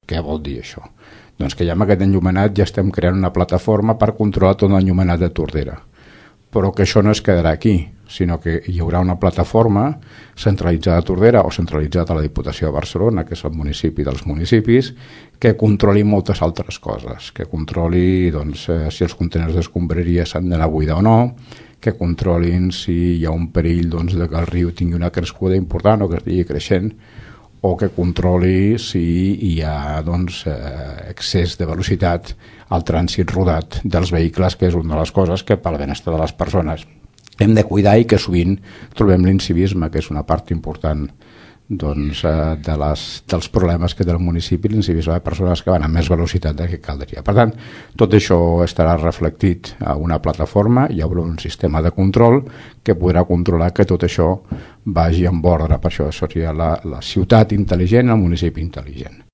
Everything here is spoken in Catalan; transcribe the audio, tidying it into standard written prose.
Què vol dir això? Doncs que ja amb aquest enllumenat ja estem creant una plataforma per controlar tot l'enllumenat de Tordera. Però que això no es quedarà aquí, sinó que hi haurà una plataforma centralitzada a Tordera o centralitzada a la Diputació de Barcelona, que és el municipi dels municipis, que controli moltes altres coses, que controli si els contenidors d'escombraria s'han d'anar a buidar o no, que controlin si hi ha un perill de que el riu tingui una crescuda important o que estigui creixent, o que controli si hi ha excés de velocitat al trànsit rodat dels vehicles, que és una de les coses que per al benestar de les persones hem de cuidar i que sovint trobem l'incivisme, que és una part important dels problemes que té el municipi, l'incivisme de persones que van amb més velocitat del que caldria. Per tant, tot això estarà reflectit a una plataforma, hi haurà un sistema de control que podrà controlar que tot això vagi en ordre. Per això seria la ciutat intel·ligent, el municipi intel·ligent.